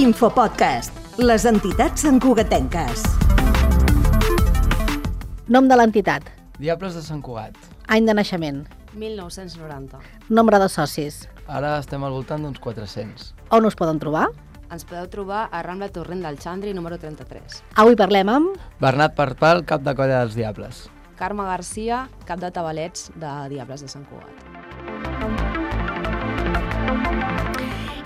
Infopodcast, les entitats santcugatenques. Nom de l'entitat. Diables de Sant Cugat. Any de naixement. 1990. Nombre de socis. Ara estem al voltant d'uns 400. On us poden trobar? Ens podeu trobar a Rambla Torrent del Xandri, número 33. Avui parlem amb... Bernat Parpal, cap de colla dels Diables. Carme Garcia, cap de tabalets de Diables de Sant Cugat.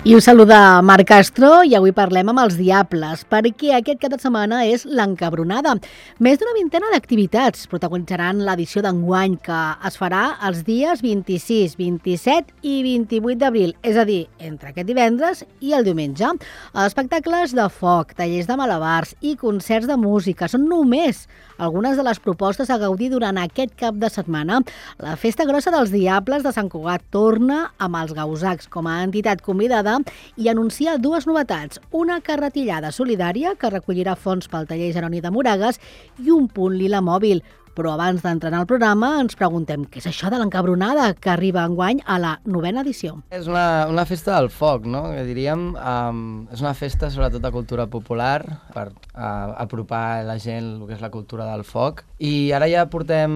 I us saluda Marc Castro i avui parlem amb els Diables, perquè aquest cap de setmana és l'Encabronada. Més d'una vintena d'activitats protagonitzaran l'edició d'enguany, que es farà els dies 26, 27 i 28 d'abril, és a dir, entre aquest divendres i el diumenge. Espectacles de foc, tallers de malabars i concerts de música són només algunes de les propostes a gaudir durant aquest cap de setmana. La Festa Grossa dels Diables de Sant Cugat torna amb els Gausacs com a entitat convidada i anuncia dues novetats, una carretillada solidària que recollirà fons pel taller Jeroni de Moragues i un punt lila mòbil. Però abans d'entrar en el programa ens preguntem què és això de l'Encabronada que arriba enguany a la 9ª edició. És una festa del foc, no? Que diríem, és una festa sobretot de cultura popular per apropar a la gent el que és la cultura del foc. I ara ja portem,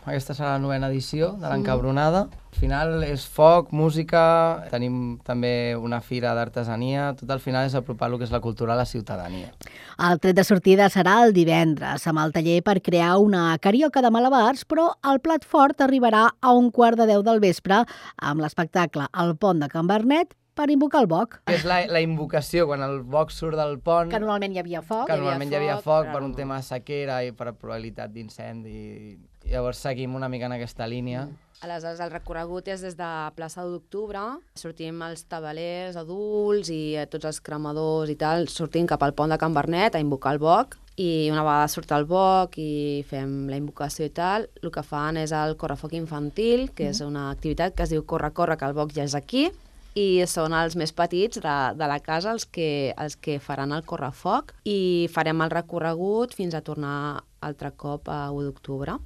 aquesta serà la 9ª edició de l'Encabronada. Al final és foc, música, tenim també una fira d'artesania, tot al final és apropar el que és la cultura a la ciutadania. El tret de sortida serà el divendres, amb el taller per crear una carioca de malabars, però el plat fort arribarà a 9:45 del vespre amb l'espectacle El Pont de Can Bernet per invocar el boc. És la invocació, quan el boc surt del pont... Que normalment hi havia foc. Que normalment hi havia foc per un tema de sequera i per probabilitat d'incendi. Llavors seguim una mica en aquesta línia. Aleshores, el recorregut és des de plaça d'Octubre, sortim els tabalers adults i tots els cremadors i tal, sortim cap al pont de Can Bernet a invocar el boc, i una vegada surt el boc i fem la invocació i tal, el que fan és el correfoc infantil, que és una activitat que es diu Corre, corre, que el boc ja és aquí, i són els més petits de la casa els que faran el correfoc, i farem el recorregut fins a tornar altre cop a 1 d'octubre.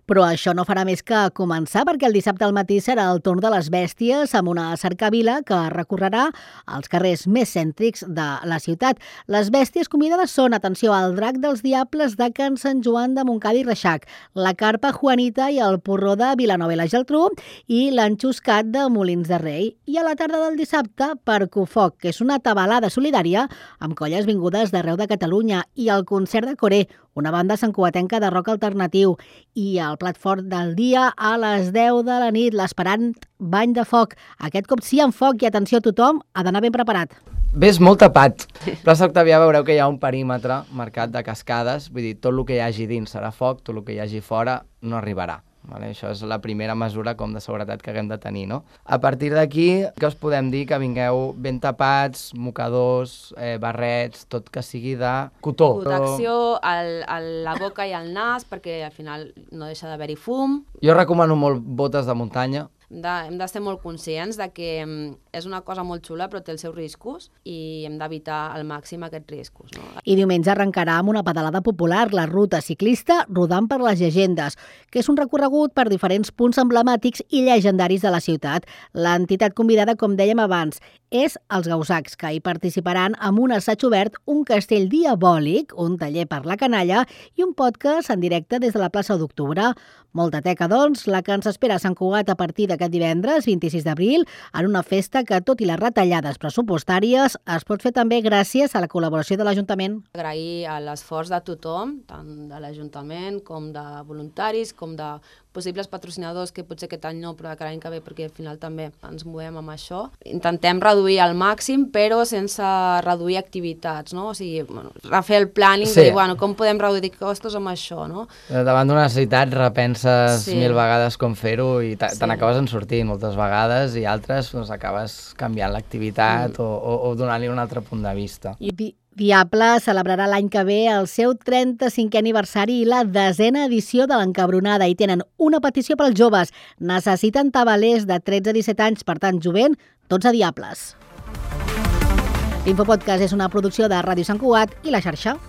Però això no farà més que començar, perquè el dissabte al matí serà el torn de les bèsties amb una cercavila que recorrerà els carrers més cèntrics de la ciutat. Les bèsties convidades són, atenció, el drac dels Diables de Can Sant Joan de Montcada i Reixac, la carpa Juanita i el porró de Vilanova i la Geltrú i l'enxuscat de Molins de Rei. I a la tarda del dissabte, Percufoc, que és una tabalada solidària amb colles vingudes d'arreu de Catalunya, i el concert de Coré, una banda santcugatenca de rock alternatiu, i el plat fort del dia a les 10 de la nit, l'esperant bany de foc. Aquest cop sí amb foc i atenció, tothom ha d'anar ben preparat. Ves molt tapat. Plaça Octavià veureu que hi ha un perímetre marcat de cascades, vull dir, tot el que hi hagi dins serà foc, tot el que hi hagi fora no arribarà. Vale? Això és la primera mesura com de seguretat que haguem de tenir, no? A partir d'aquí, què us podem dir? Que vingueu ben tapats, mocadors, barrets, tot que sigui de cotó. Protecció a la boca i al nas, perquè al final no deixa d'haver-hi fum. Jo recomano molt botes de muntanya. Hem de ser molt conscients de que és una cosa molt xula però té els seus riscos i hem d'evitar al màxim aquests riscos. No? I diumenge arrencarà amb una pedalada popular, la ruta ciclista Rodant per les Llegendes, que és un recorregut per diferents punts emblemàtics i llegendaris de la ciutat. L'entitat convidada, com dèiem abans, és els Gausacs, que hi participaran amb un assaig obert, un castell diabòlic, un taller per la canalla i un podcast en directe des de la plaça d'Octubre. Molta teca, doncs, la que ens espera a Sant Cugat a partir d'aquest divendres, 26 d'abril, en una festa que, tot i les retallades pressupostàries, es pot fer també gràcies a la col·laboració de l'Ajuntament. Agrair l'esforç de tothom, tant de l'Ajuntament com de voluntaris, com de possibles patrocinadors, que potser aquest any no, però que l'any que ve, perquè al final també ens movem amb això. Intentem reduir al màxim, però sense reduir activitats, no? O sigui, refer el planning, de dir, com podem reduir costos amb això, no? Davant d'una necessitat repenses 1000 vegades com fer-ho i te n'acabes en sortint moltes vegades i altres acabes canviant l'activitat o donant-li un altre punt de vista. Diable celebrarà l'any que ve el seu 35è aniversari i la 10ª edició de l'Encabronada i tenen una petició pels joves. Necessiten tabalers de 13 a 17 anys, per tant, jovent, tots a Diables. L'Infopodcast és una producció de Ràdio Sant Cugat i La Xarxa.